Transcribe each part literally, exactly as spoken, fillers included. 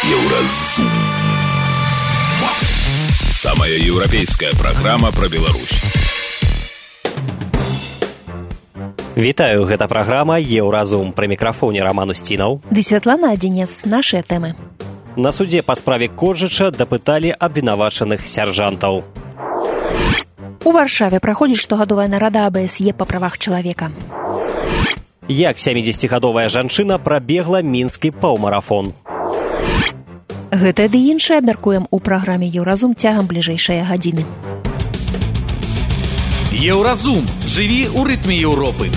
Еўразум. Самая еўрапейская праграма пра Беларусь. Вітаю, гэта праграма «Еўразум». Пры мікрафоне Роман Устінаў. Ды Святлана Адзінец. Нашыя тэмы. На судзе па справе Коржыча дапыталі абвінавачаных сяржантаў. У Варшаве праходзіць штогадовая нарада А Б С Е па правах чалавека. Як сямідзесяцігадовая жанчына прабегла мінскі паўмарафон. Гэта ды іншае абмяркуем у праграме «Еўразум» цягам бліжэйшай гадзіны. Еўразум. Жыві ў рытме Еўропы.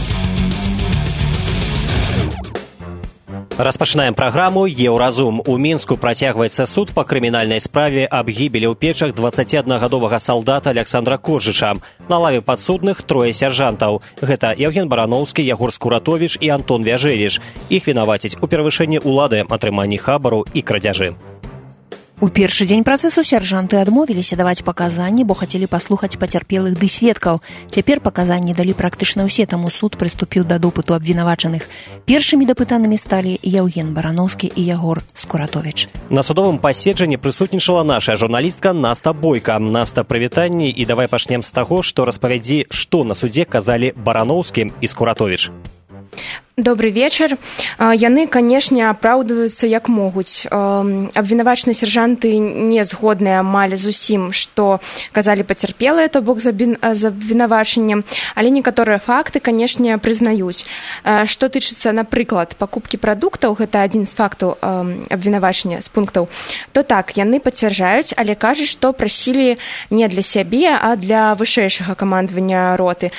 Распачынаем праграму «Еўразум». У Мінску працягваецца суд па крымінальнай справе аб гібелі ў печах дваццаціаднагадовага салдата Аляксандра Коржыча. На лаве падсудных трое сяржантаў. Гэта Яўген Бараноўскі, Ягор Скуратовіч і Антон Вяжэліш. Іх вінавацяць у перавышэнні ўлады, атрыманні хабару і крадзяжы. У першы дзень працэсу сяржанты адмовіліся даваць паказанні, бо хацелі паслухаць пацярпелых ды сведкаў. Цяпер паказанні далі практычна ўсе, таму суд прыступіў да допыту абвінавачаных. Першымі дапытанымі сталі Яўген Бараноўскі і Ягор Скуратовіч. На судовым паседжанні прысутнічала наша журналістка Наста Бойка. Наста, прывітанні, і давай пачнем з таго, што распавядзі, што на судзе казалі Бараноўскі і Скуратовіч. Добрый вечар. Яны, канешне, апраўдваюцца як могуць. Абвінавачаныя сяржанты не згодныя амаль з усім, што казалі пацярпелыя, то бок з абвінавачаннем, але некаторыя факты, канешне, прызнаюць. Што тычыцца, напрыклад, пакупкі прадуктаў, гэта адзін з фактаў абвінавачання з пунктаў, то так, яны пацвярджаюць, але кажуць, што прасілі не для сябе, а для вышэйшага камандавання роты.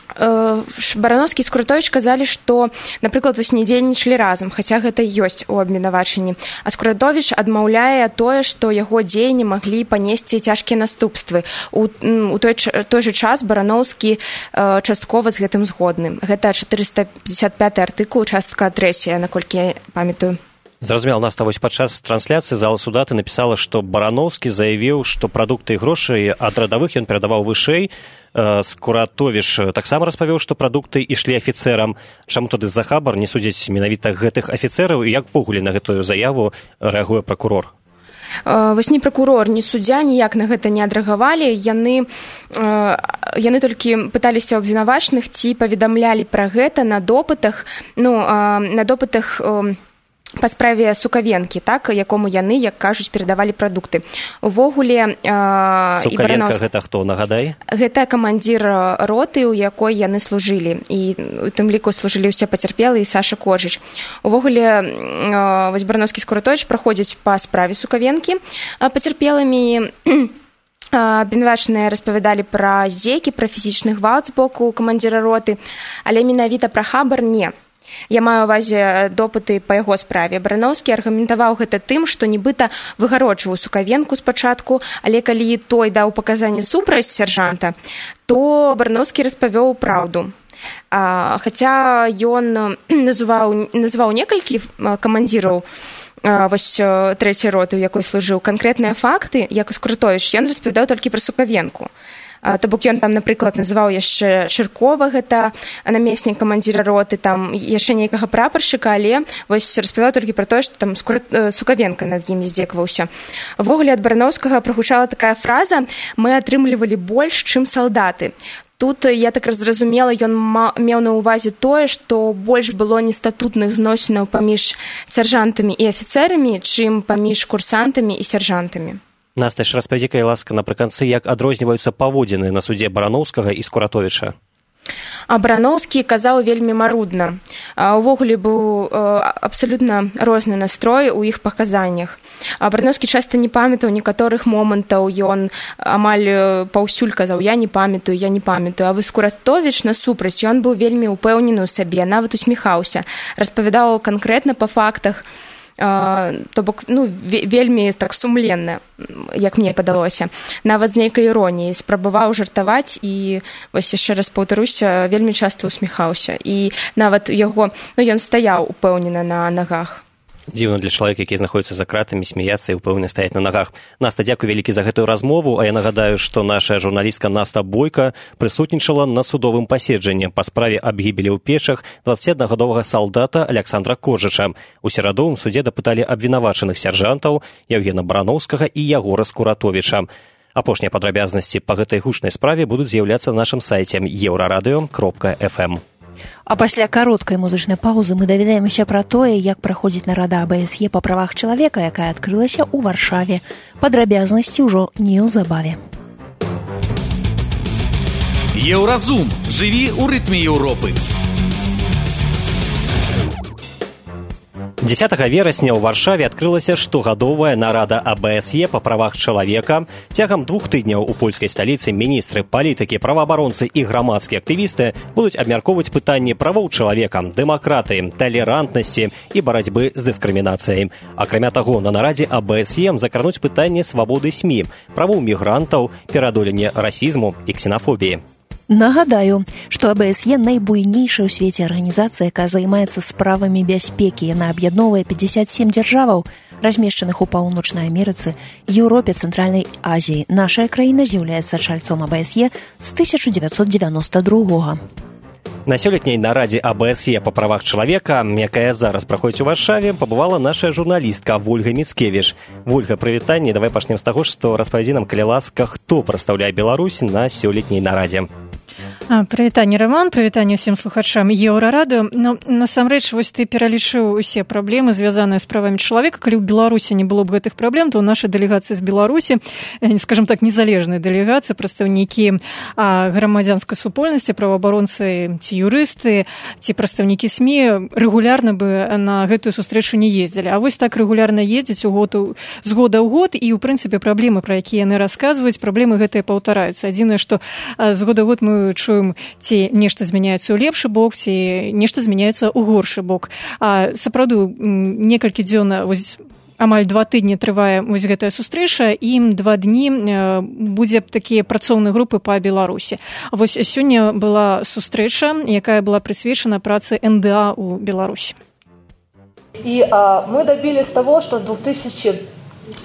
Бараноўскі і Скуратовіч казалі, што, напрыклад, вось не дзейнічалі разам, хаця гэта і ёсць у абвінавачанні. А Скуратовіч адмаўляе тое, што яго дзеянні маглі панесці цяжкія наступствы. У, у той, той жа час Бараноўскі э, часткова з гэтым згодны. Гэта чатырыста пятьдесят пяты артыкул, частка трэцяя, наколькі я памятаю. Зразумела, Наста, вось падчас трансляцыі зала суда ты напісала, што Бараноўскі заявіў, што прадукты і грошы ад радавых ён перадаваў вышэй. Скуратовіч таксама распавёў, што прадукты ішлі афіцэрам. Чаму тады за хабар не судзяць менавіта гэтых афіцэраў, і як ввогуле на гэтую заяву рэагуе пракурор? Вось ні пракурор, ні суддзя ніяк на гэта не адрэагавалі. Яны, яны толькі пыталіся абвінавачаных, ці паведамлялі пра гэта на допытах, ну, на допытах па справе Сукавенкі, так, якому яны, як кажуць, перадавалі прадукты. Увогуле... Сукавенка Бараноўскі... гэта хто, нагадай? Гэта камандзір роты, у якой яны служылі. І у тым ліку служылі ўсе пацярпелыя і Саша Коржыч. Увогуле, вось Бараноўскі і Скуратовіч праходзяць па справе Сукавенкі пацярпелымі. Абвінавачаныя распавядалі пра здзекі, пра фізічны гвалт з боку камандзіра роты, але менавіта пра хабар не. Я маю ўвазе допыты па яго справе. Бараноўскі аргументаваў гэта тым, што нібыта выгароджваў Сукавенку спачатку, але калі той даў паказанні супраць сяржанта, то Бараноўскі распавёў праўду. А, хаця ён называў, называў некалькі камандзіраў вось трэцяй роты, у якой служыў, канкрэтныя факты, як і Скуратовіч, ён распавядаў толькі пра Сукавенку. То бок ён там, напрыклад, называў яшчэ Шыркова, гэта намеснік камандзіра роты, там яшчэ нейкага прапаршчыка, але вось распавядаў толькі пра тое, што там Сукавенка над імі здзекаваўся. Увогуле ад Бараноўскага прагучала такая фраза: «Мы атрымлівалі больш, чым салдаты». Тут, я так зразумела, ён меў на ўвазе тое, што больш было нестатутных зносінаў паміж сяржантамі і афіцэрамі, чым паміж курсантамі і сяржантамі. Наста, яшчэ распавядзі, калі ласка, напрыканцы, як адрозніваюцца паводзіны на судзе Бараноўскага і Скуратовіча. А Бараноўскі казаў вельмі марудна. Увогуле быў абсалютна розны настрой у іх паказаннях. Бараноўскі часта не памятаў некаторых момантаў, ён амаль паўсюль казаў: «Я не памятаю, я не памятаю». А вось Скуратовіч насупраць, ён быў вельмі ўпэўнены ў сабе, нават усміхаўся, распавядаў канкрэтна па фактах. То бок, ну, вельмі так сумленна, як мне падалося. Нават з нейкай іроніяй спрабаваў жартаваць і, вось яшчэ раз паўтаруся, вельмі часта усміхаўся. І нават яго, ну, ён стаяў упэўнена на нагах. Дзіўна для чалавека, які знаходіцца за кратамі, смяяцца і ўпэўнена стаяць на нагах. Наста, дзякуй вялікі за гэтую размову, а я нагадаю, што наша журналістка Наста Бойка прысутнічала на судовым паседжанні па справе аб гібелі ў Печах дваццаціаднагадовага салдата Аляксандра Коржыча. У сераду ў суде дапыталі абвінавачаных сяржантаў Яўгена Барановскага і Ягора Скуратовіча. Апошнія падрабязнасці па гэтай гучнай справе будуць з'яўляцца на нашым сайце еўрарадыё кропка эф эм. А пасля кароткай музычнай паўзы мы даведаемся пра тое, як праходзіць нарада а бэ эс е па правах чалавека, якая адкрылася ў Варшаве. Падрабязнасці ўжо неўзабаве. Еўразум. Жыві ў рытме Еўропы. дзесятага верасня ў Варшаве адкрылася штогадовая нарада а бэ эс е па правах чалавека. Цягам двух тыдняў у польскай сталіцы міністры, палітыкі, праваабаронцы і грамадскія актывісты будуць абмяркоўваць пытанні правоў чалавека, дэмакратыі, талерантнасці і барацьбы з дыскрымінацыяй. Акрамя таго, на нарадзе а бэ эс е закрануць пытанні свабоды СМІ, правоў мігрантаў, пераадолення расізму і ксенафобіі. Нагадаю, што а бэ эс е найбуйнейшая ў свеце арганізацыя, якая займаецца справамі бяспекі. Яна аб'ядноўвае пятьдесят семь дзяржаваў, размешчаных у Паўночнай Амерыцы, Еўропе, Цэнтральнай Азіі. Нашая краіна з'яўляецца чальцом а бэ эс е з тысяча дзевяцьсот девяносто другога. На сёлетняй нарадзе а бэ эс е па правах чалавека, якая зараз праходзіць у Варшаве, пабывала наша журналістка Вольга Міцкевіч. Вольга, прывітанне. Давай пачнем з таго, што распавядзі нам, калі ласка, хто прадстаўляе Беларусь на сёлетняй нарадзе. Прывітанне, Роман, прывітанне ўсім слухачам Еўрарадыё. Ну, насамрэч, вось ты пералічыў усе праблемы, звязаныя з правамі чалавека. Калі ў Беларусі не было б гэтых праблем, то ў нашай делегацыі з Беларусі, скажем так, незалежнай делегацыі, прадстаўнікі грамадзянскай супольнасці, праваабаронцы ці юрысты, ці прадстаўнікі СМІ рэгулярна бы на гэтую сустрэчу не ездзілі. А вось так рэгулярна ездзіць у год, з года ў год, і, ў прынцыпе, праблемы, пра якія яны расказваюць, праблемы гэтыя паўтараюцца. Адзінае, што з года ў год мы чуем, ці нешта змяняецца ў лепшы бок, ці нешта змяняецца ў горшы бок. А сапраўды некалькі дзён, вось амаль два тыдні трывае вось гэтая сустрэча, і два дні будзе такія працоўныя групы па Беларусі. Вось сёння была сустрэча, якая была прысвечана працы эн дэ а ў Беларусі. И а, мы добились того, что с две тысячи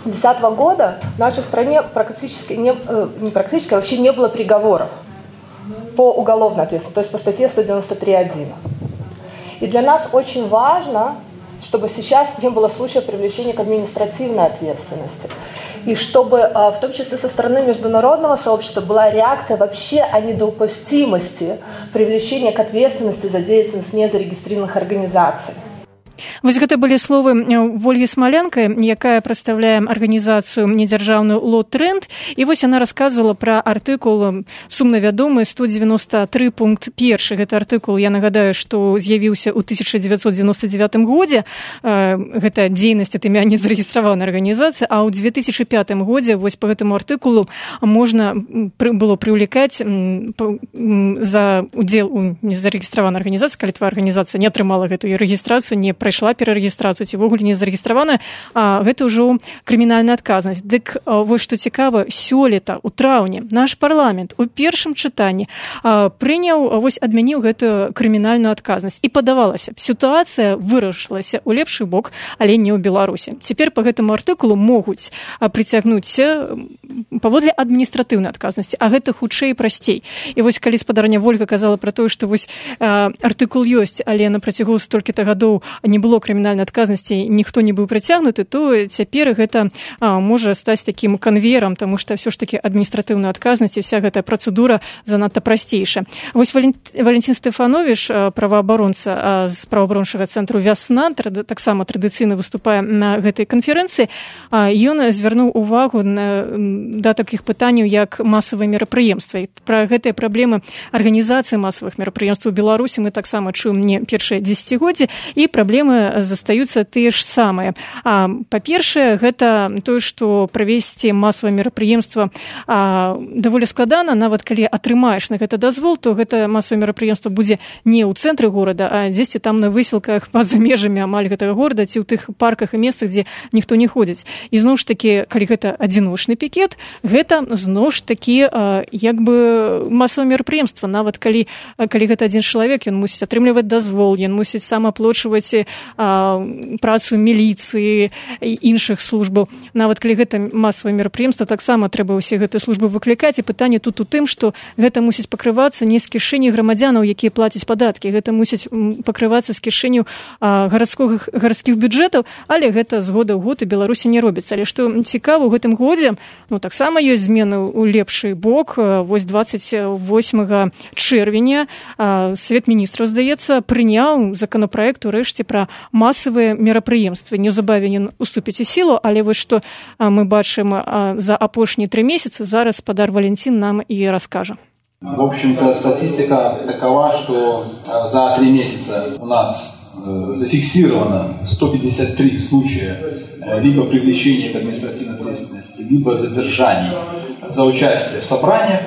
десятого года в нашей стране практически не, не практически, а вообще не было приговоров по уголовной ответственности, то есть по статье сто девяносто три один. И для нас очень важно, чтобы сейчас не было случаев привлечения к административной ответственности. И чтобы, в том числе со стороны международного сообщества, была реакция вообще о недопустимости привлечения к ответственности за деятельность незарегистрированных организаций. Вось гэта былі словы Вольгі Смалянка, якая прадстаўляе арганізацыю недзяржаўную «Лот-Тренд». І вось яна расказвала пра артыкул сумна вядомы сто девяносто три пункт один. Гэта артыкул, я нагадаю, што з'явіўся ў тысяча дзевяцьсот девяносто девятым годзе. Гэта дзейнасць ад імя незарэгістраванай арганізацыі, а ў две тысячи пятым годзе вось по гэтаму артыкулу можна было прывлекаць за удзел у незарэгістраванай арганізацыі, калі твоя арганізацыя не атрымала гэтую рэгістрацыю, не прайшла перарэгістрацыю, ці вогуле не зарэгістравана, гэта ўжо крымінальная адказнасць. Дык вось што цікава, сёлета у траўні наш парламент у першым чытанні прыняў, вось адмяніў гэтую крымінальную адказнасць. І падавалася, сітуацыя вырашылася ў лепшы бок, але не ў Беларусі. Цяпер па гэтаму артыкулу могуць прыцягнуць паводле адміністратыўнай адказнасці, а гэта хутчэй і прасцей. І вось калі спадарня Вольга казала пра тое, што вось артыкул ёсць, але на працягу столькі-то гадоў не было крымінальнай адказнасці, ніхто не быў прыцягнуты, то цяпер гэта а, можа стаць такім канвеерам, таму што ўсё ж такі адміністратыўная адказнасць і вся гэтая працэдура занадта прасцейшая. Вось Валентин Стефанович, праваабаронца з праваабарончага цэнтру «Вясна», таксама традыцыйна выступае на гэтай канферэнцыі, ён звярнуў увагу на, да такіх пытанняў, як масавыя мерапрыемствы. Пра гэтыя праблемы арганізацыі масавых мерапрыемстваў у Беларусі мы таксама чуем не першае дзесяцігоддзе, і праблемы застаюцца тыя ж самыя. А, па-першае, гэта тое, што правесці масавае мерапрыемства даволі складана. Нават калі атрымаеш на гэта дазвол, то гэта масавае мерапрыемства будзе не ў цэнтры горада, а дзесьці там на высілках па-за межамі амаль гэтага горада, ці ў тых парках і месцах, дзе ніхто не ходзіць. І зноў ж такі, калі гэта адзіночны пікет, гэта зноў ж такі як бы масавае мерапрыемства. Нават калі, калі гэта адзін чалавек, ён мусіць атрымліваць дазвол, ён мусіць сам аплочваць працу міліцыі і іншых службаў. Нават калі гэта масавае мерапрыемства, таксама трэба ўсе гэтыя службы выклікаць, і пытанне тут у тым, што гэта мусіць пакрывацца не з кішэні грамадзянаў, якія плацяць падаткі, гэта мусіць пакрывацца з кішэняў гарадскіх бюджэтаў, але гэта з года ў год у Беларусі не робіцца. Але што цікава, у гэтым годзе ну, таксама ёсць змены ў лепшы бок. Вось двадцать восьмага чэрвеня Свет міністраў, здаецца, прыняў законапраект урэшце пра масавыя мерапрыемствы. Неўзабаве ён уступіць у сілу, але вось што мы бачым за апошнія тры месяцы, зараз спадар Валентин нам и расскажет. В общем-то, статистика такова, что за три месяца у нас зафиксировано сто пятьдесят три случая либо привлечения к административной ответственности, либо задержаний за участие в собраниях.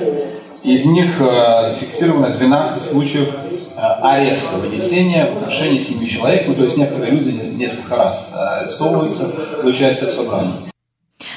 Из них зафиксировано двенадцать случаев ареста, вынесения в отношении семи человек. Ну, то есть некоторые люди несколько раз арестовываются за участие в собрании.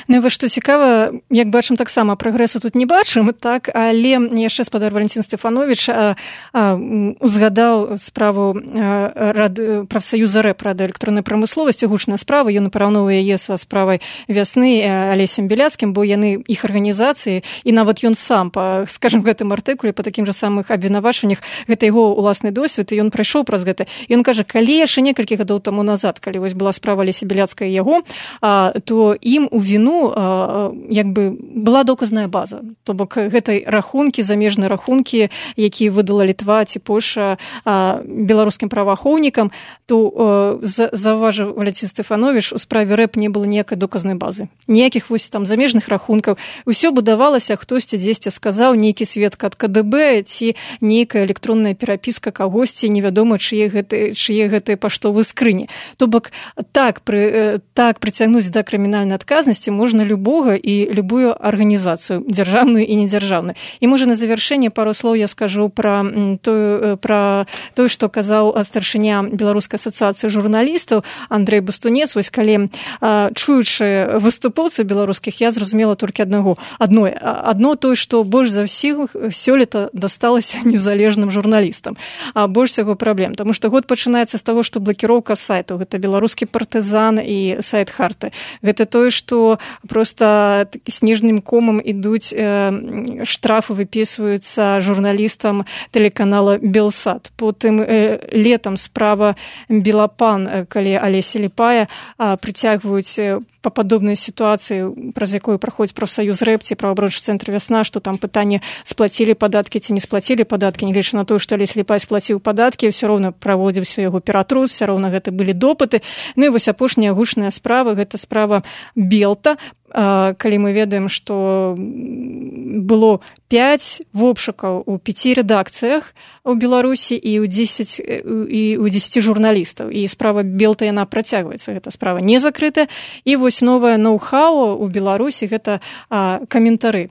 Ну, вось што цікава, як бачым, таксама прагрэсу тут не бачым, так, але яшчэ спадар Валентин Стефанович а, а, узгадаў справу рад, прафсаюза рэп радыёэлектроннай прамысловасці, гучная справа, ён параўноўвае яе са справай вясны Алесем Беляцкім, бо яны іх арганізацыі, і нават ён сам па, скажем, гэтым артыкуле, па такім жа самых абвінавачваннях, гэта яго уласны досвед, і ён прайшоў праз гэта. І ён кажа, калі яшчэ некалькі гадоў таму назад, калі вось была справа Алеся Беляцкая і яго, а, то ім у віну як бы была доказная база. То бок гэтай рахункі, замежныя рахункі, якія выдала Літва ці Польша беларускім праваахоўнікам, то заўважыў Валентин Стефанович, у справе рэп не было ніякай доказнай базы. Ніякіх вось там замежных рахункаў. Усё будавалася, хтосьці дзесьці сказаў, нейкі сведка ад ка дэ бэ ці нейкая электронная перапіска кагосьці, невядома, чые гэтыя чые гэтыя паштовыя скрыні. То бок так, пры, так прыцягнуць да крымінальнай адказнасці можна любога і любую арганізацыю, дзяржаўную і недзяржаўную. І можа на завяршэнне пару слоў я скажу пра тое, пра тое, што казаў старшыня Беларускай асацыяцыі журналістаў Андрэй Бастунец. Вось калі чуючы выступоўцаў беларускіх, я зразумела толькі аднаго. Адно, адно тое, што больш за ўсіх сёлета дасталася незалежным журналістам. А больш всяго праблем. Таму што год пачынаецца з таго, што блакіроўка сайтаў. Гэта беларускі партызан і сайт Харты. Гэта тое, што просто снежным комам ідуць э, штрафы выпісваюцца журналістам тэлеканала Белсат. Потым э, летам справа Белапан, э, калі Алеся Ліпая э, прыцягваюць э, па падобнай сітуацыі, праз якую праходзіць прафсаюз рэп ці праваабарончы цэнтр Вясна, што там пытанне, сплацілі падаткі ці не сплацілі падаткі, нягледзячы на тое, што Алеся Ліпая сплаціў падаткі, ўсё роўна праводзіўся яго ператрус, ўсё роўна гэта былі допыты. Ну і вось апошняя гучная справа, гэта справа Белта, калі мы ведаем, што было пяць вобшукаў у пяці рэдакцыях у Беларусі і ў дзесяць і ў дзесяці журналістаў. І справа Белта, яна працягваецца, гэта справа не закрытая. І вось новае ноу-хау у Беларусі гэта а, каментары.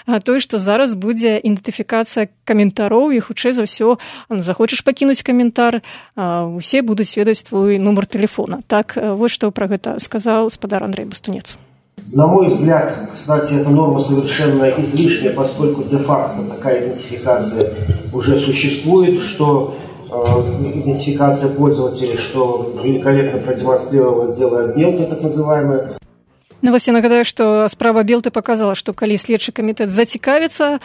А тое, што зараз будзе ідэнтыфікацыя каментароў, і хутчэй за ўсё, захочаш пакінуць каментар, усе будуць ведаць твой нумар тэлефона. Так, вось што пра гэта сказаў спадар Андрэй Бастунец. На мой взгляд, кстати, эта норма совершенно излишняя, поскольку де-факто такая идентификация уже существует, что э, идентификация пользователей, что великолепно продемонстрировало дело Белты, так называемое. Ну, вось я нагадаю, што справа Белты показала, што калі следчы камітэт зацікавіцца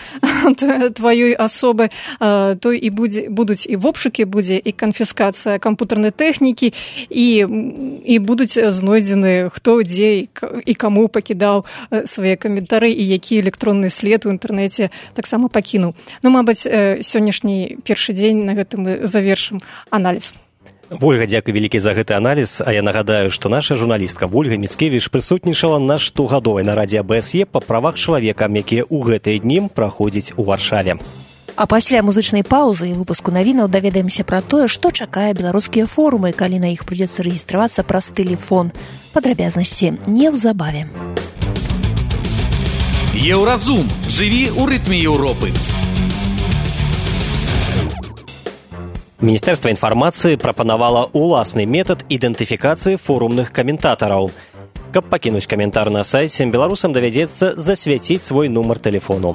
тваёй асобы, то і будзе, будуць і вобшукі, будзе і канфіскацыя кампутарнай тэхнікі, і, і будуць знойдзены хто, дзе і каму пакідаў свае каментары, і які электронны след у інтэрнэце таксама пакінуў. Ну, мабыць, сённяшні першы дзень на гэтым мы завершым аналіз. Вольга, дзякуй вялікі за гэты аналіз, а я нагадаю, што наша журналістка Вольга Міцкевіч прысутнічала на штогадовай нарадзе а бэ эс е па правах чалавека, якія ў гэтыя дні праходзяць у Варшаве. А пасля музычнай паўзы і выпуску навінаў даведаемся пра тое, што чакае беларускія форумы, калі на іх прыйдзецца рэгістравацца праз тэлефон. Падрабязнасці неўзабаве. Еўразум. Жыві ў рытме Еўропы. Міністэрства інфармацыі прапанавала ўласны метад ідэнтыфікацыі форумных каментатараў. Каб пакінуць каментар на сайце, беларусам давядзецца засвяціць свой нумар тэлефону.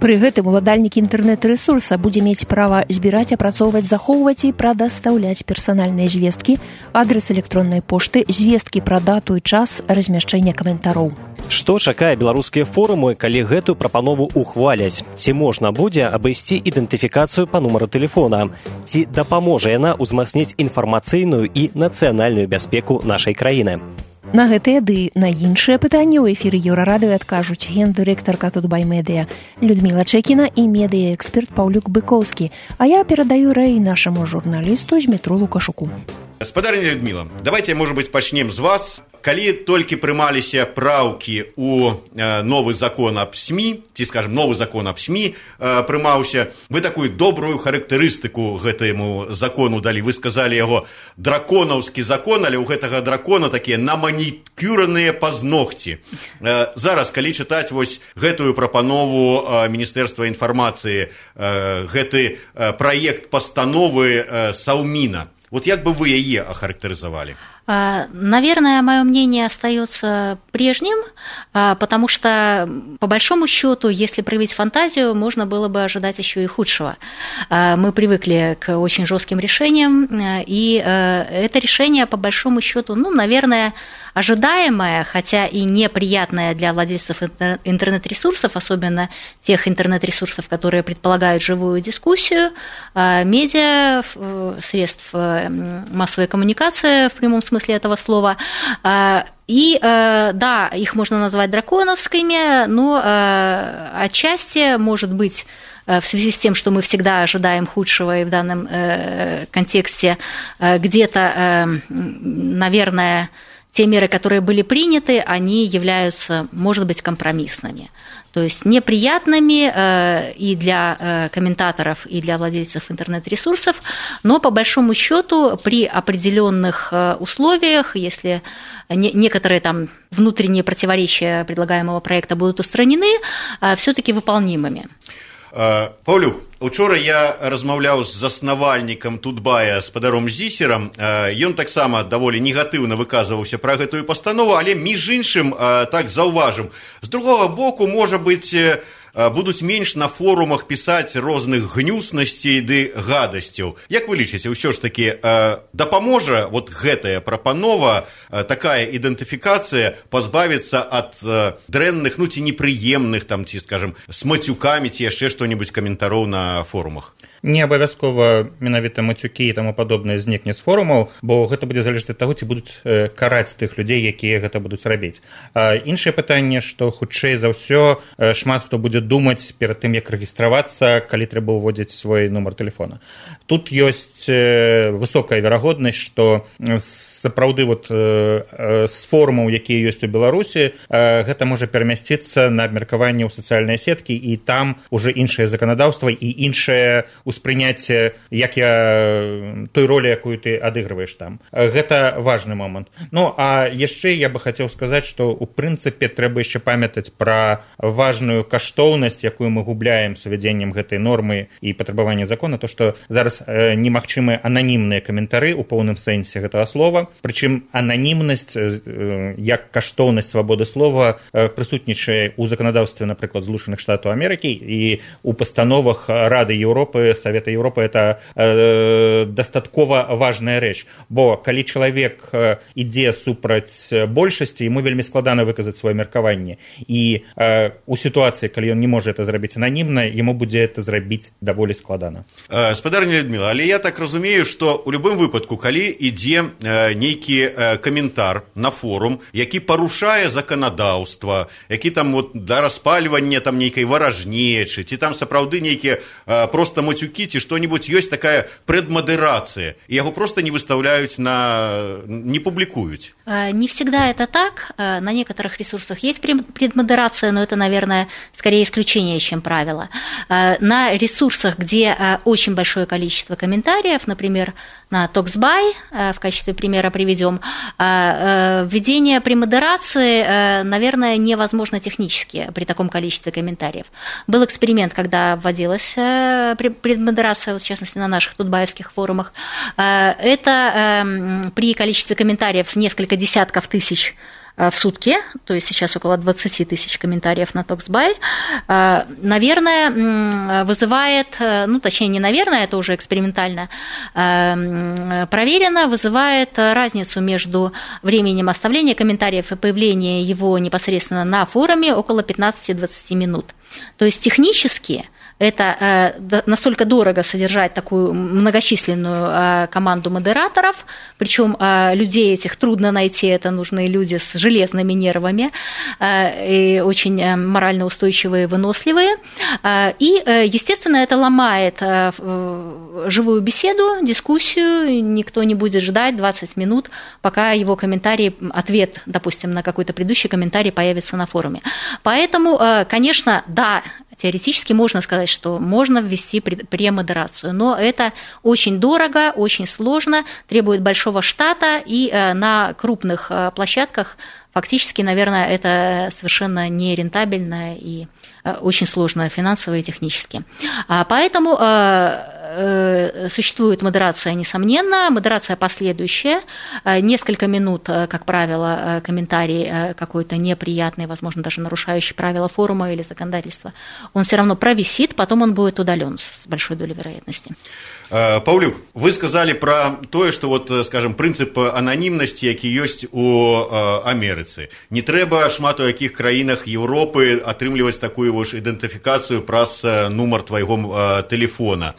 Пры гэтым уладальнік інтэрнэт-рэсурса будзе мець права збіраць, апрацоўваць, захоўваць і прадастаўляць персанальныя звесткі, адрес электроннай пошты, звесткі пра дату і час размяшчэння каментароў. Што чакае беларускія форумы, калі гэтую прапанову ухваляць? Ці можна будзе абысці ідэнтыфікацыю па нумару тэлефона? Ці дапаможа яна ўзмацніць інфармацыйную і нацыянальную бяспеку нашай краіны? На гэтыя ды на іншыя пытанні ў эфіры Еўрарадыё адкажуць гендырэктарка Тутбай Медыя Людміла Чэкіна і медыяэксперт Паўлюк Быкоўскі. А я перадаю рэй нашаму журналісту Змітру Лукашуку. Спадарня Людміла, давайте, может быть, пачнем з вас. Калі толькі прымаліся праўкі ў э, новы закон аб СМІ, ці, скажем, новы закон аб СМІ э, прымаўся, вы такую добрую характарыстыку гэтаму закону далі. Вы сказалі яго драконаўскі закон, але ў гэтага дракона такія наманікюраныя пазногці. Э, зараз, калі чытаць вось гэтую прапанову э, Міністэрства інфармацыі, э, гэты э, праект пастановы э, Саўміна, вот як бы вы яе ахарактарызавалі? Наверное, мое мнение остается прежним, потому что, по большому счету, если проявить фантазию, можно было бы ожидать еще и худшего. Мы привыкли к очень жестким решениям, и это решение, по большому счету, ну, наверное, ожидаемое, хотя и неприятное для владельцев интернет-ресурсов, особенно тех интернет-ресурсов, которые предполагают живую дискуссию, медиа, средств массовой коммуникации в прямом смысле этого слова. И, да, их можно назвать драконовскими, но отчасти, может быть, в связи с тем, что мы всегда ожидаем худшего, и в данном контексте где-то, наверное, те меры, которые были приняты, они являются, может быть, компромиссными. То есть неприятными э, и для э, комментаторов, и для владельцев интернет-ресурсов, но по большому счету при определенных э, условиях, если не, некоторые там внутренние противоречия предлагаемого проекта будут устранены, э, все-таки выполнимыми. Паўлюк, учора я размаўляў з заснавальнікам Тутбая спадаром Зісерам. Ён таксама даволі негатыўна выказваўся пра гэтую пастанову, але між іншым так заўважым. З другога боку, можа быць, будуць менш на форумах пісаць розных гнюснасцей ды гадасцяў. Як вы лічыце, ўсё ж такі дапаможа вот гэтая прапанова, такая ідэнтыфікацыя пазбавіцца ад дрэнных, ну ці непрыемных, там, ці, скажем, с мацюкамі ці яшчэ што-небудзь каментароў на форумах? Не абавязкова менавіта мацюкі і таму падобнае знікне з форумаў, бо гэта будзе залежаць ад таго, ці будуць караць тых людзей, якія гэта будуць рабіць. А іншае пытанне, што хутчэй за ўсё шмат хто будзе думаць перад тым, як рэгістравацца, калі трэба ўводзіць свой нумар тэлефона. Тут ёсць высокая верагоднасць, што сапраўды вот з форумаў, якія ёсць у Беларусі, гэта можа перамясціцца на абмеркаванне ў сацыяльныя сеткі, і там уже іншае заканадаўства і іншае успрыняцце, як я той ролі, якую ты адыгрываеш там. Гэта важны момант. Ну, а яшчэ я бы хацеў сказаць, што ў прынцыпе трэба яшчэ памятаць пра важную каштоўнасць, якую мы губляем з увядзеннем гэтай нормы і патрабавання закона, то што зараз немагчымыя ананімныя каментары ў поўным сэнсе гэтага слова. Прычым ананімнасць як каштоўнасць свабоды слова прысутнічае ў заканадаўстве, напрыклад, Злучаных Штатаў Амерыкі, і у пастановах Рады Еўропы, Савета Еўропы это э, дастаткова важная рэч, бо калі чалавек ідзе супраць большасці, яму вельмі складана выказаць сваё меркаванне, і э, у сітуацыі, калі ён не можа это зрабіць ананімна, яму будзе это зрабіць даволі складана. Э, спадарня Людміла, але я так разумею, што ў любым выпадку, калі ідзе э, нейкі э, каментар на форум, які парушае заканадаўства, які там вот да распальвання там нейкай варажнечы, ці там сапраўды нейкія э, просто мацюкі, ці што-нибудь, ёсць такая предмодерация, и его просто не выставляют, на... не публикуют. Не всегда это так. На некоторых ресурсах есть предмодерация, но это, наверное, скорее исключение, чем правило. На ресурсах, где очень большое количество комментариев, например, на Токсбай, в качестве примера приведем, введение премодерации, наверное, невозможно технически при таком количестве комментариев. Был эксперимент, когда вводилась предмодерация, вот в частности, на наших тутбаевских форумах. Это при количестве комментариев несколько десятков тысяч в сутки, то есть сейчас около двадцать тысяч комментариев на Токсбай, наверное, вызывает, ну, точнее, не наверное, это уже экспериментально проверено, вызывает разницу между временем оставления комментариев и появления его непосредственно на форуме около пятнадцать-двадцать минут. То есть технически это настолько дорого содержать такую многочисленную команду модераторов, причем людей этих трудно найти, это нужны люди с железными нервами и очень морально устойчивые, выносливые. И, естественно, это ломает живую беседу, дискуссию, никто не будет ждать двадцать минут, пока его комментарий, ответ, допустим, на какой-то предыдущий комментарий появится на форуме. Поэтому, конечно, да, теоретически можно сказать, что можно ввести премодерацию, но это очень дорого, очень сложно, требует большого штата, и на крупных площадках фактически, наверное, это совершенно нерентабельно и очень сложно финансово и технически. Поэтому существует модерация, несомненно, модерация последующая, несколько минут, как правило, комментарий какой-то неприятный, возможно, даже нарушающий правила форума или законодательства, он все равно провисит, потом он будет удален с большой долей вероятности. Паўлюк, вы сказали про тое, што вот, скажем, прынцып ананімнасці, які ёсць у Амерыцы. Не трэба шмат у якіх краінах Еўропы атрымліваць такую вось ідэнтыфікацыю праз нумар твайго тэлефона.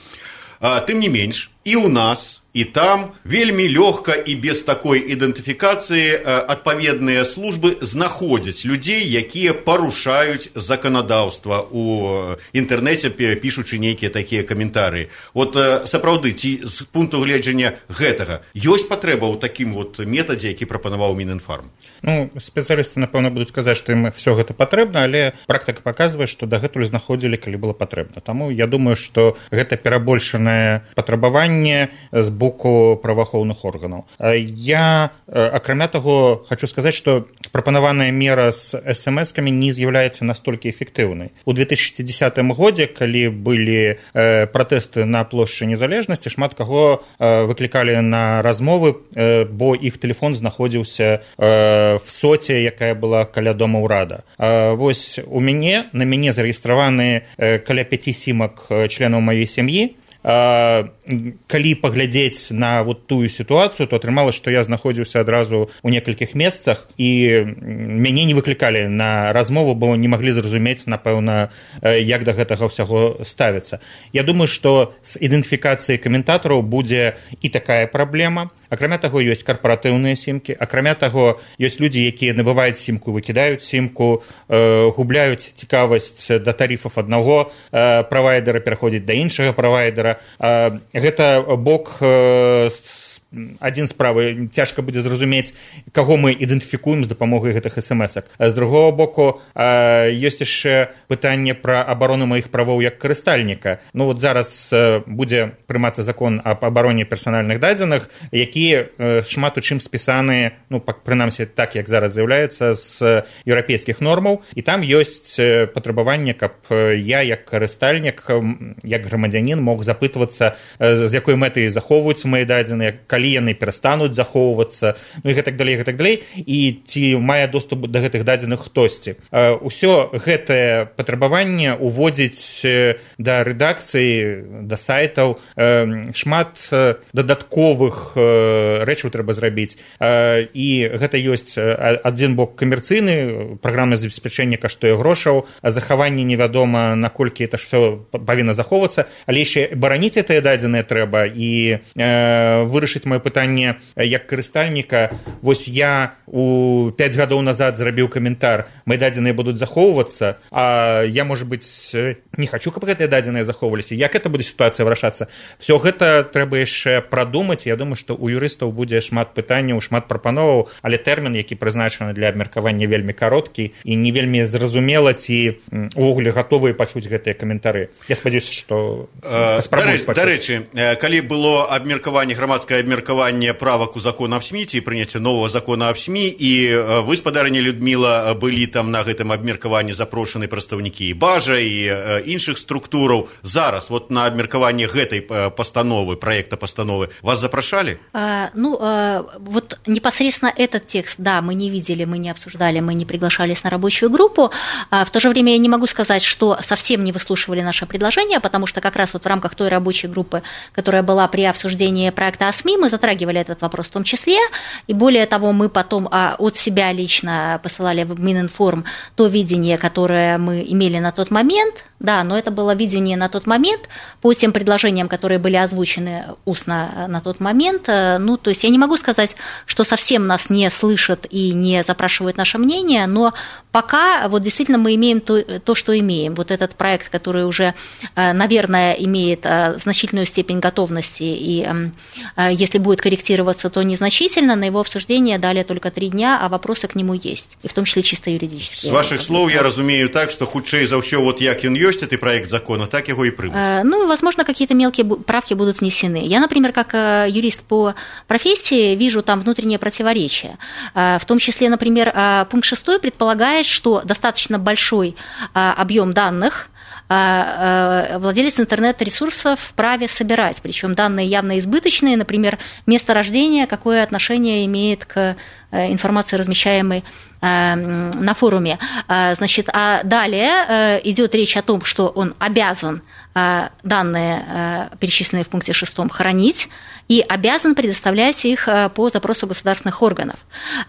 Тым не менш, і ў нас, і там вельмі лёгка і без такой ідэнтыфікацыі адпаведныя службы знаходзяць людзей, якія парушаюць заканадаўства ў інтэрнэце, пішучы нейкія такія каментарыі. Вот сапраўды, ці з пункту гледжання гэтага ёсць патрэба ў такім вот метадзе, які прапанаваў Мінінфарм? Ну, спецыялісты, напэўна, будуць казаць, што ім все гэта патрэбна, але практыка паказвае, што дагэтуль знаходзілі, калі было патрэбна. Таму я думаю, што гэта перабольшанае патрабаванне з боку праваахоўных органаў. Я, акрамя таго, хочу сказаць, што прапанаваная мера з эс эм эскамі не з'яўляецца настолькі эфектыўнай. У две тысячи десятым годзе, калі былі пратэсты на плошчы Незалежнасці, шмат каго выклікалі на размовы, бо іх тэлефон знаходзіўся в соце, якая была каля дома ўрада. Вось у мяне, на мяне зарэгістраваны каля пяці сімак членаў маёй сям'і. Калі паглядзець на вот тую сітуацыю, то атрымалася, што я знаходзіўся адразу ў некалькіх месцах, і мяне не выклікалі на размову, бо не маглі зразумець, напэўна, як да гэтага ўсяго ставіцца. Я думаю, што з ідэнтыфікацыяй каментатараў будзе і такая праблема. Акрамя таго, ёсць карпаратыўныя сімкі, акрамя таго, ёсць людзі, якія набываюць сімку, выкідаюць сімку, губляюць цікавасць да тарыфаў аднаго правайдера, пераходзяць да іншага правайдера. Гэта бок адзін справы, цяжка будзе зразумець, каго мы ідэнтыфікуем з дапамогай гэтых эс эм эсак. З другого боку, ёсць яшчэ пытанне пра абарону маіх правоў як карыстальніка. Ну вот зараз будзе прымацца закон аб абароне персанальных дадзеных, які шмат у чым спісаны, ну, прынамсі так, як зараз з'яўляецца, з еўрапейскіх нормаў, і там ёсць патрабаванне, каб я як карыстальнік, як грамадзянін мог запытвацца, з якой мэтай захоўваюцца мае дадзеныя, калі яны перастануць захоўвацца, ну і гэтак далей, гэтак далей, і ці мае доступ да гэтых дадзеных хтосьці. Усё гэтае патрабаванне уводзіць да рэдакцыі, да сайтаў шмат дадатковых рэчаў трэба зрабіць. І гэта ёсць адзін бок камерцыйны, праграмнае забеспячэнне каштуе грошаў, а захаванне невядома, наколькі это ж всё павінна захоўвацца, але яшчэ бараніць гэтыя дадзеныя трэба і вырашыць маё пытанне як карыстальніка. Вось я у пяць гадоў назад зрабіў каментар, мои дадзеныя будуць захоўвацца, а я, можа быць, не хочу, каб гэтыя дадзеныя захоўваліся. Як это будзе сітуацыя вырашацца? Все гэта трэба яшчэ прадумаць. Я думаю, што у юрыстаў будзе шмат пытанняў, шмат прапановаў, але тэрмін, які прызначаны для абмеркавання, вельмі кароткі і не вельмі зразумела, ці увогуле гатовыя пачуць гэтыя каментары. Я спадзяюся, што спрабуюць пачуць. Дарэчы, калі было абмеркаванне, грамадскае абмеркаванне абмеркаванне правак у закон аб СМІ ці прыняцця новага закона аб СМІ, і вы, спадарыня Людміла, былі там на гэтым абмеркаванні запрошаны прадстаўнікі і бажа, і іншых структураў. Зараз вот на абмеркаванне гэтай пастановы, проекта постановы вас запрашалі? А, ну, а, вот непосредственно этот текст, да, мы не видели, мы не обсуждали, мы не приглашались на рабочую группу. А в то же время я не могу сказать, что совсем не выслушивали наше предложение, потому что как раз вот в рамках той рабочей группы, которая была при обсуждении проекта о СМИ, мы затрагивали этот вопрос в том числе, и более того, мы потом от себя лично посылали в Мининформ то видение, которое мы имели на тот момент, да, но это было видение на тот момент по тем предложениям, которые были озвучены устно на тот момент. Ну, то есть я не могу сказать, что совсем нас не слышат и не запрашивают наше мнение, но пока вот действительно мы имеем то, то, что имеем. Вот этот проект, который уже, наверное, имеет значительную степень готовности, и если будет корректироваться, то незначительно, на его обсуждение дали только три дня, а вопросы к нему есть, и в том числе чисто юридические. С ваших слов я разумею так, что хутчэй за ўсё, вот як ён ёсць, этот проект закона, так его и примут. Ну, возможно, какие-то мелкие правки будут внесены. Я, например, как юрист по профессии, вижу там внутреннее противоречие. В том числе, например, пункт шестой предполагает, что достаточно большой объем данных владелец интернет-ресурсов вправе собирать, причем данные явно избыточные, например, место рождения, какое отношение имеет к информации, размещаемой на форуме. Значит, а далее идет речь о том, что он обязан данные, перечисленные в пункте шестом, хранить, и обязан предоставлять их по запросу государственных органов.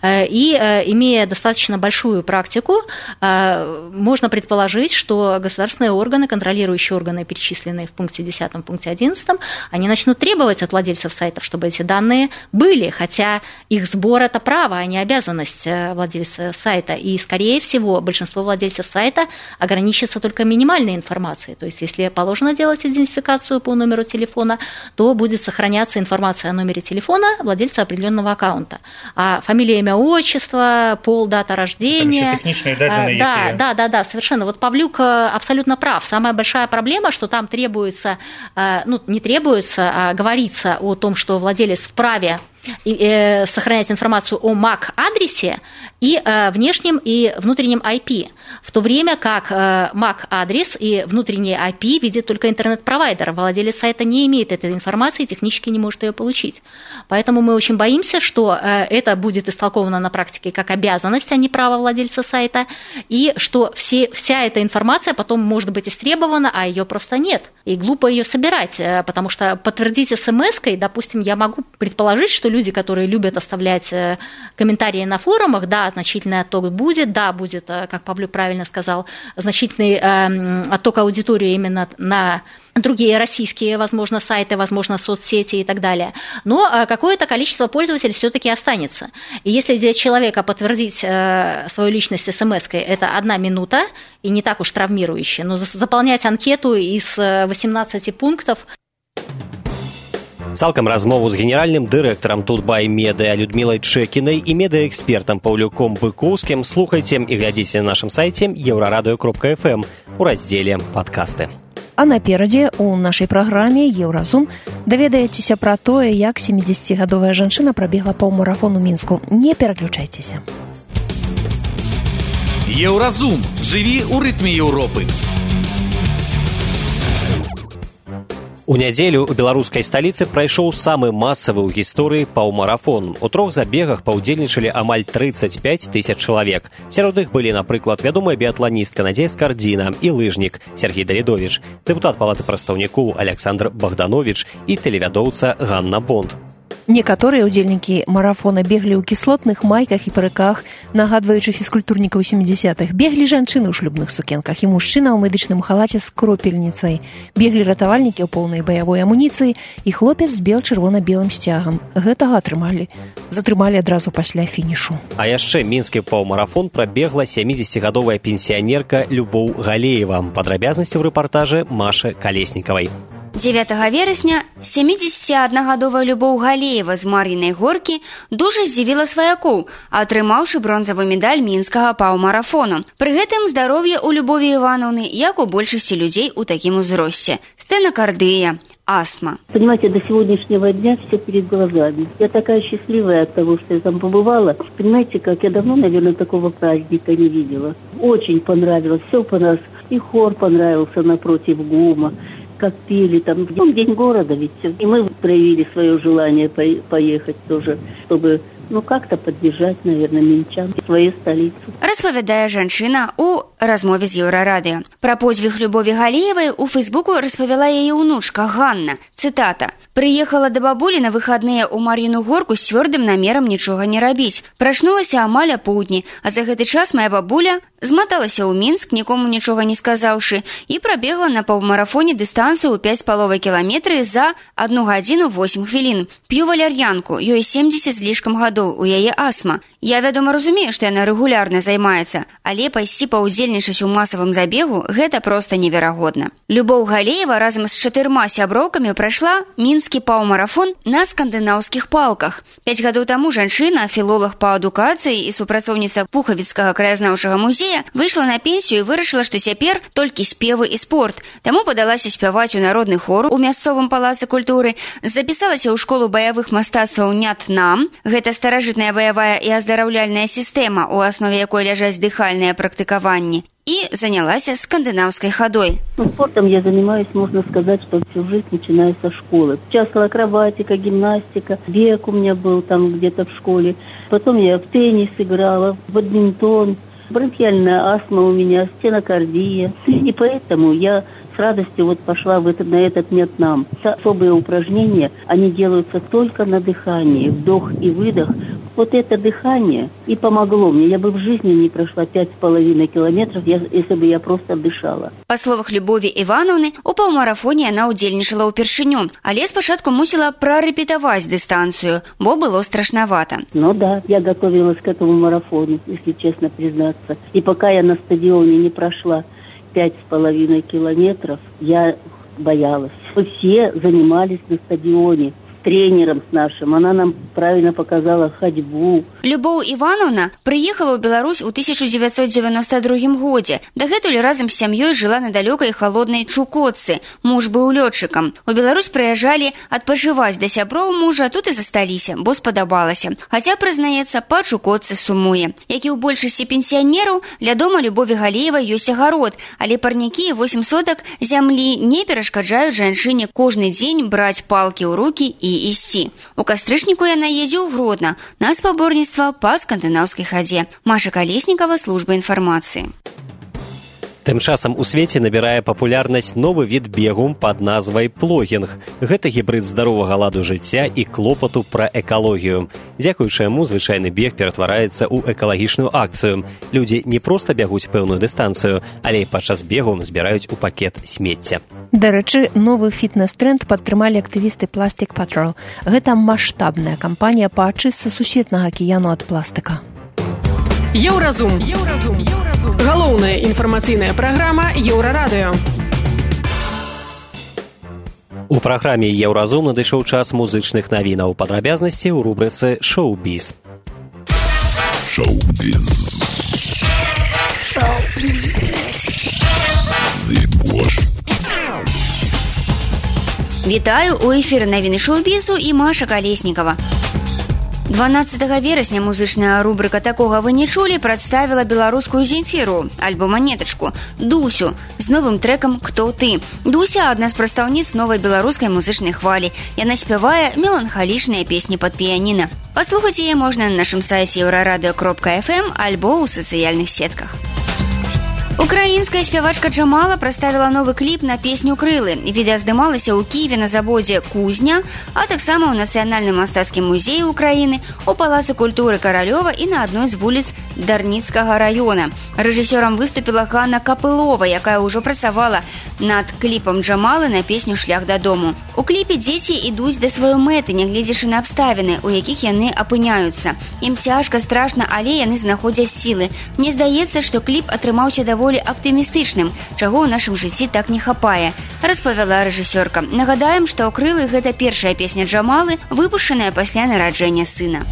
И, имея достаточно большую практику, можно предположить, что государственные органы, контролирующие органы, перечисленные в пункте десятом, пункте одиннадцатом, они начнут требовать от владельцев сайтов, чтобы эти данные были, хотя их сбор – это право, а не обязанность владельца сайта. И, скорее всего, большинство владельцев сайта ограничится только минимальной информацией. То есть, если положено делать идентификацию по номеру телефона, то будет сохраняться информация о номере телефона владельца определенного аккаунта. А фамилия, имя, отчество, пол, дата рождения. Там техничные данные. Да, да, да, да, совершенно. Вот Павлюк абсолютно прав. Самая большая проблема, что там требуется, ну, не требуется, а говорится о том, что владелец вправе сохранять информацию о мак-адресе и внешнем и внутреннем ай пи, в то время как мак-адрес и внутренний ай пи видит только интернет-провайдер. Владелец сайта не имеет этой информации и технически не может ее получить. Поэтому мы очень боимся, что это будет истолковано на практике как обязанность, а не право владельца сайта, и что все, вся эта информация потом может быть истребована, а ее просто нет. И глупо ее собирать, потому что подтвердить смс-кой, допустим, я могу предположить, что люди, которые любят оставлять комментарии на форумах, да, значительный отток будет, да, будет, как Павлюк правильно сказал, значительный отток аудитории именно на другие российские, возможно, сайты, возможно, соцсети и так далее. Но какое-то количество пользователей все-таки останется. И если для человека подтвердить свою личность смс-кой, это одна минута, и не так уж травмирующе, но заполнять анкету из восемнадцати пунктов. Цалкам размову з генеральным дырэктарам Тутбай Медыа Людмілай Чэкінай і медыаэкспертам Паўлюком Быкоўскім слухайце і глядзіце на нашым сайце еўрарадыё кропка эф эм у раздзеле «Падкасты». А наперадзе у нашай праграме «Еўразум» даведаецеся пра тое, як сямідзесяцігадовая жанчына прабегла паўмарафон у Мінску. Не пераключайцеся. Еўразум. Жыві ў рытме Еўропы. У нядзелю у беларускай сталіцы прайшоў самы масавы ў гісторыі паўмарафон. У трох забегах паўдзельнічалі амаль трыццаць пяць тысяч чалавек. Сярод іх былі, напрыклад, вядомая біятланістка Надзея Скардзіна і лыжнік Сергей Давідовіч, дэпутат палаты прадстаўнікоў Александр Богданович і тэлевядоўца Ганна Бонд. Некаторыя ўдзельнікі марафона беглі ў кіслотных майках і парыках, нагадваючы фізкультурнікаў сямідзясятых. Беглі жанчыны ў шлюбных сукенках і мужчына ў медычным халаце з кропельніцай. Беглі ратавальнікі ў поўнай баявой амуніцыі і хлопец з бел-чырвона-белым сцягам. Гэтага атрымалі. Затрымалі адразу пасля фінішу. А яшчэ мінскі паўмарафон прабегла сямідзесяцігадовая пенсіянерка Любоў Галеева. Падрабязнасці ў рэпартажы Машы Калеснікавай. дзевятага верасня сямідзесяціаднагадовая Любоў Галеева з Мар'інай Горкі дужа здзівіла сваякоў, атрымаўшы бронзавы медаль мінскага паўмарафону. Пры гэтым здароўе ў Любові Івановны, як у большасці людзей у такім узросце. Стэнакардыя, астма. Понимаете, до сегодняшнего дня все перед глазами. Я такая счастливая от того, что я там побывала. Понимаете, как я давно, наверное, такого праздника не видела. Очень понравилось, все понравилось. И хор понравился напротив ГУМа, как пели там. День города ведь. И мы проявили свое желание поехать тоже, чтобы... ну, как-то поддержать, наверное, мінчан свою столицу. Распавядае жанчына у размове з Еўрарадыё. Пра подзвіг Любові Галеевай у Фейсбуку распавяла яе ўнучка Ганна. Цытата. «Прыехала да бабулі на выхадныя ў Мар'іну горку з цвёрдым намерам нічога не рабіць. Прачнулася амаль апоўдні, а за гэты час моя бабуля зматалася ў Мінск, нікому нічога не сказаўшы, і прабегла на паўмарафоне дыстанцыю ў пяць з паловай кіламетры за адну гадзіну восем хвілін. П'ю валяр'янку, ёй семдзесят з лішкам гадоў, у яе астма. Я, вядома, разумею, што яна рэгулярна займаецца, але пайсці паўдзельнічаць у масавым забегу – гэта проста неверагодна». Любоў Галеева разам з чатырма сяброўкамі прайшла мінскі паўмарафон на скандынаўскіх палках. Пяць гадоў таму жанчына, філолог па адукацыі і супрацоўніца Пухавіцкага краязнаўчага музея, выйшла на пенсію і вырашыла, што цяпер толькі спевы і спорт. Таму падалася спяваць у народны хор у мясцовым палацы культуры, запісалася ў школу баявых мастацтваў «Нят-Нам». Гэта старажытная баявая і аздараўляльная сістэма, у аснове якой ляжаць дыхальныя практыкаванні. И занялась скандинавской ходой. Ну, спортом я занимаюсь, можно сказать, что всю жизнь, начиная со школы. Участвовала акробатика, гимнастика, бег у меня был там где-то в школе. Потом я в теннис играла, в бадминтон, бронхиальная астма у меня, стенокардия. И поэтому я с радостью вот пошла в этот, на этот Нят-Нам. Особые упражнения, они делаются только на дыхании, вдох и выдох. Вот это дыхание и помогло мне. Я бы в жизни не прошла пять с половиной километров, если бы я просто дышала. По словах Любові Івановны, у паўмарафоне яна ўдзельнічала ўпершыню, але спачатку мусіла прарэпетаваць дыстанцыю, бо было страшновато. Ну да, я готовилась к этому марафону, если честно признаться. И пока я на стадионе не прошла пять с половиной километров, я боялась. Мы все занимались на стадионе. Тренером с нашим. Она нам правильно показала ходьбу. Любоў Івановна прыехала ў Беларусь у тысяча девятьсот девяносто другім годзе. Дагэтуль разам з сям'ёй жыла на далёкай халоднай Чукотцы. Муж быў лётчыкам. У Беларусь прыязджалі адпачываць да сяброў мужа, тут і засталіся, бо спадабалася. Хаця, прызнаецца, па Чукотцы сумуе. Як і ў большасці пенсіянераў, ля дома Любові Галеевай ёсць агарод, але парнікі і восем сотак зямлі не перашкаджаюць жанчыне кожны дзень браць палкі ў рукі і ісці. У кастрычніку яна едзе ў Гродна на спаборніцтва па скандынаўскай хадзе. Маша Калеснікава, служба інфармацыі. Тым часам у свеце набірае папулярнасць новы від бегу пад назвай плогінг. Гэта гібрид здаровага ладу жыцця і клопату пра экалогію. Дзякуючы яму звычайны бег ператвараецца ў экалагічную акцыю. Людзі не проста бягуць пэўную дыстанцыю, але і падчас бегу збіраюць у пакет смецця. Дарэчы, новы фітнес-тренд падтрымалі актывісты Plastic Patrol. Гэта маштабная кампанія па ачыстцы сусветнага акіяну ад пластыка. Еўразум. Еўразум. Еўразум. Галоўная інфармацыйная праграма Еўрарадыё. У праграме Еўразум надышоў час музычных навінаў. Падрабязнасці ў рубрыцы «Шоу-біз». Шоу-біз. Шоу-біз. Вітаю, у эфіры навіны шоу-бізу і Маша Калеснікава. дванаццатага верасня музычная рубрыка «Такога вы не чулі» прадставіла беларускую Земфіру, альбо-манетачку, Дусю, з новым трэкам «Кто ты?». Дуся – адна з прадстаўніц новай беларускай музычнай хвалі. Яна спявае меланхалічныя песні пад піяніна. Паслухаць яе можна на нашым сайце еўрарадыё кропка эф эм альбо ў сацыяльных сетках. Украінская спявачка Джамала прадставіла новы кліп на песню «Крылы». Відэа здымалася ў Кіеве на заводзе «Кузня», а таксама ў Нацыянальным мастацкім музеі Украіны, у Палацы культуры Каралёва і на адной з вуліц Дарніцкага раёна. Рэжысёрам выступіла Ганна Капылова, якая ўжо працавала над кліпам Джамалы на песню «Шлях дадому». У кліпе дзеці ідуць да сваёй мэты, нягледзячы на абставіны, у якіх яны апыняюцца. Ім цяжка, страшна, але яны знаходзяць сілы. Мне здаецца, што кліп атрымаўся даволі аптымістычным, чаго ў нашым жыцці так не хапае, распавяла рэжысёрка. Нагадаем, што «Крылы» – гэта першая песня Джамалы, выпушчаная пасля нараджэння сына.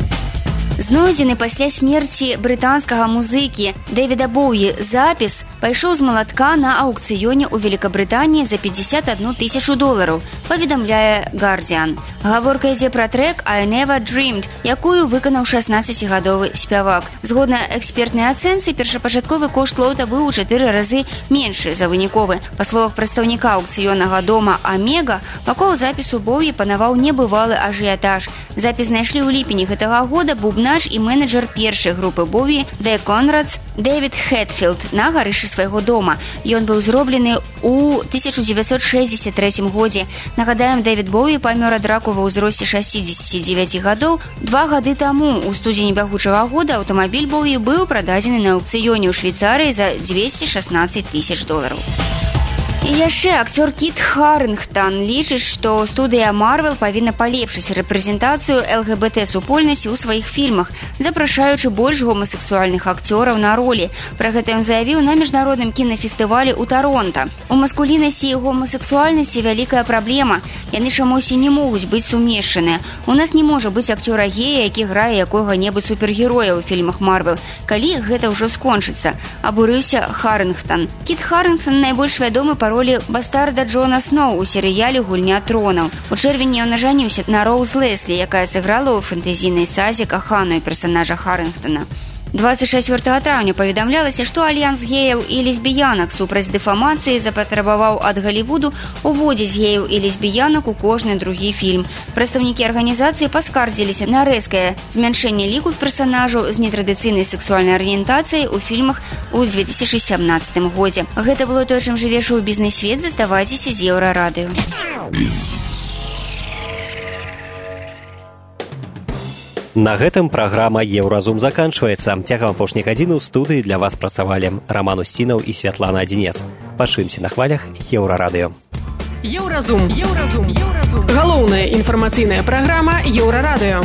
Знойдзены пасля смерці брытанскага музыкі Дэвіда Боуі запіс пайшоў з малатка на аўкцыёне ў Великабрытаніі за пятьдесят одну тысячу долараў, паведамляе Guardian. Гаворка ідзе пра трэк «I Never Dreamed», якую выканаў шаснаццацігадовы спявак. Згодна экспертнай ацэнцы, першапачатковы кошт лота быў у чатыры разы меншы за выніковы. Па словах прадстаўніка аўкцыённага дома «Омега», вакол запісу Боуі панаваў небывалы ажыятаж. Запіс знайшлі ў ліпені гэтага года бубна Наш і менеджер першай групы Боуі The Conrads Дэвід Хэтфілд на гарышчы свайго дома. Ён быў зроблены ў тысяча дзевяцьсот шэсцьдзесят трэцім годзе. Нагадаем, Дэвід Боуі памёр ад раку ва ўзросце шэсцідзесяці дзевяці гадоў. Два гады таму, у студзені бягучага года, аўтамабіль Боуі быў прададзены на аўкцыёне ў Швейцарыі за дзвесце шаснаццаць тысяч долараў. І яшчэ акцёр Кіт Харынгтон лічыць, што студыя Marvel павінна палепшыць рэпрэзентацыю эл гэ бэ тэ супольнасці ў сваіх фільмах, запрашаючы больш гомасексуальных акцёраў на ролі. Пра гэта ён заявіў на міжнародным кінафестывалі ў Таронта. У маскуліннасці і гомасексуальнасці вялікая праблема. Яны чамусь і не могуць быць сумешчаныя. У нас не можа быць акцёра гея, які грае якога-небудзь супергероя ў фільмах Marvel. Калі гэта ўжо скончыцца? Абурыўся Харынгтон. Кіт Харынгтон найбольш вядомы па ролі бастарда Джона Сноу у серыяле «Гульня тронаў». У чэрвені ён ажаніўся на Роуз Леслі, якая сыграла ў фэнтэзійнай сазе каханую персанажа Харынгтона. двадцать чацвёртага траўня паведамлялася, што альянс геяў і лесбіянак супраць дэфамацыі запатрабаваў ад Галівуду уводзіць геяў і лесбіянак у кожны другі фільм. Прадстаўнікі арганізацыі паскардзіліся на рэзкае змяншэнне ліку персанажаў з нетрадыцыйнай сексуальнай арыентацыяй у фільмах у две тысячи сямнаццатым годзе. Гэта было тое, чым жыве шоу-бізнес-свет. Заставайцеся з Еўрарадыё. На гэтым праграма «Еўразум» заканчваецца. Цягам апошняй гадзіны ў студыі для вас працавалі Раман Усцінаў і Святлана Адзінец. Пачуемся на хвалях Еўрарадыё. Еўразум. Еўразум. Еўразум. Галоўная інфармацыйная праграма Еўрарадыё.